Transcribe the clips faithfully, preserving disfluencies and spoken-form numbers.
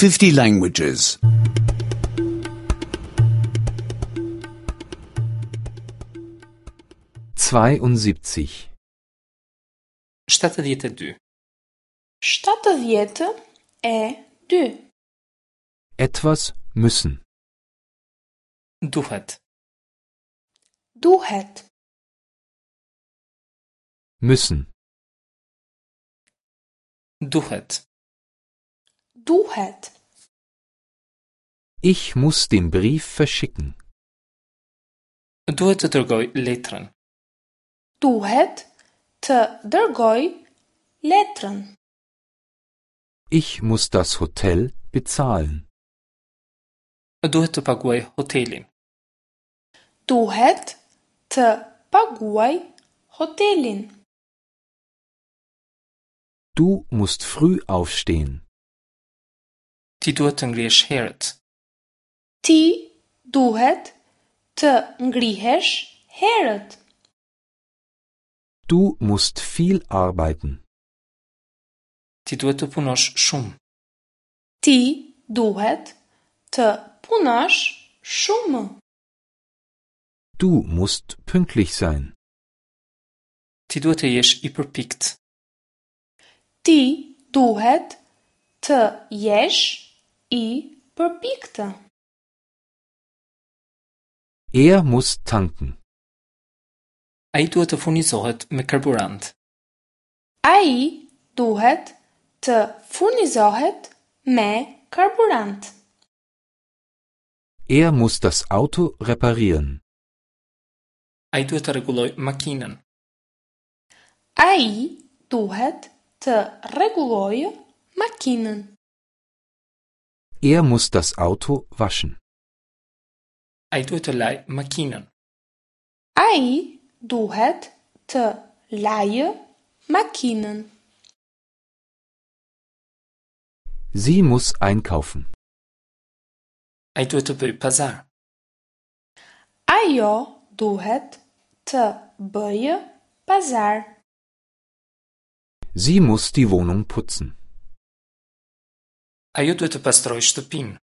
fifty languages. Zweiundsiebzig. shtatëdhjetë e dy. Shtatëdhjetë e dy. Etwas müssen. Duhet. Duhet. Müssen. Duhet. Duhet. Ich muss den Brief verschicken. Duhet të dërgoj letrën. Duhet të dërgoj letrën. Ich muss das Hotel bezahlen. Duhet të paguaj hotelin. Duhet të paguaj hotelin. Du musst früh aufstehen. Ti duhet të ngrihesh herët. Ti duhet të ngrihesh herët. Du musst viel arbeiten. Ti duhet të punosh shumë. Ti duhet të punosh shumë. Du musst pünktlich sein. Ti duhet të jesh i përpikt. Ti duhet të jesh i përpiktë. Er muss tanken. Ai duhet të furnizohet me karburant. Ai duhet të furnizohet me karburant. Er muss das Auto reparieren. Ai duhet të rregullojë makinën. Ai duhet të rregullojë makinën. Er muss das Auto waschen. Ai duhet të lajë makinën. Ai duhet të lajë makinën. Sie muss einkaufen. Ai duhet të bëjë pazar. Ajo duhet të bëjë pazar. Sie muss die Wohnung putzen. Ajo duhet të pastrojë shtëpinë.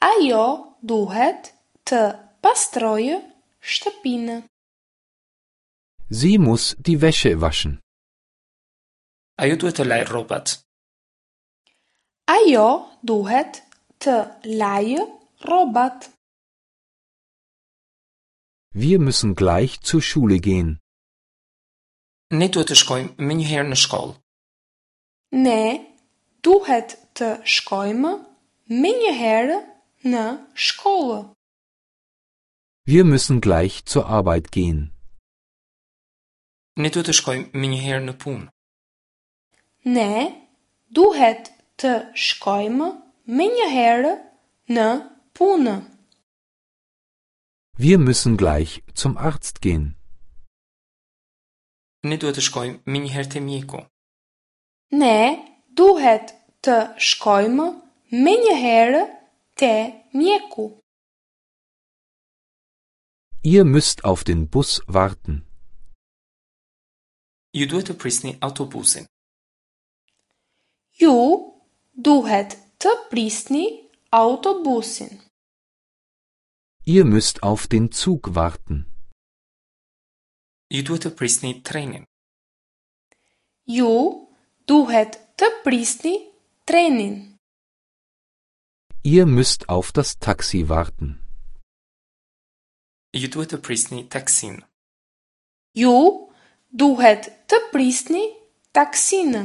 Ajo duhet të pastrojë shtëpinë. Sie muss die Wäsche waschen. Ajo duhet të lajë rrobat. Ajo duhet të lajë rrobat. Wir müssen gleich zur Schule gehen. Ne duhet të shkojmë menjëherë në shkollë. Ne duhet të shkojmë menjëherë në shkollë. Wir müssen gleich zur Arbeit gehen. Ne duhet të shkojmë menjëherë në punë. Ne duhet të shkojmë menjëherë në punë. Wir müssen gleich zum Arzt gehen. Ne duhet të shkojmë menjëherë te mjeku. Ne duhet të shkojmë menjëherë te mjeku. Ihr müsst auf den Bus warten. Ju duhet të prisni autobusin. Ju duhet të prisni autobusin. Ihr müsst auf den Zug warten. Ju duhet të prisni trenin. Ju duhet të prisni trenin. Ihr müsst auf das Taxi warten. Ju duhet të prisni taksin. Ju duhet të prisni taksinë.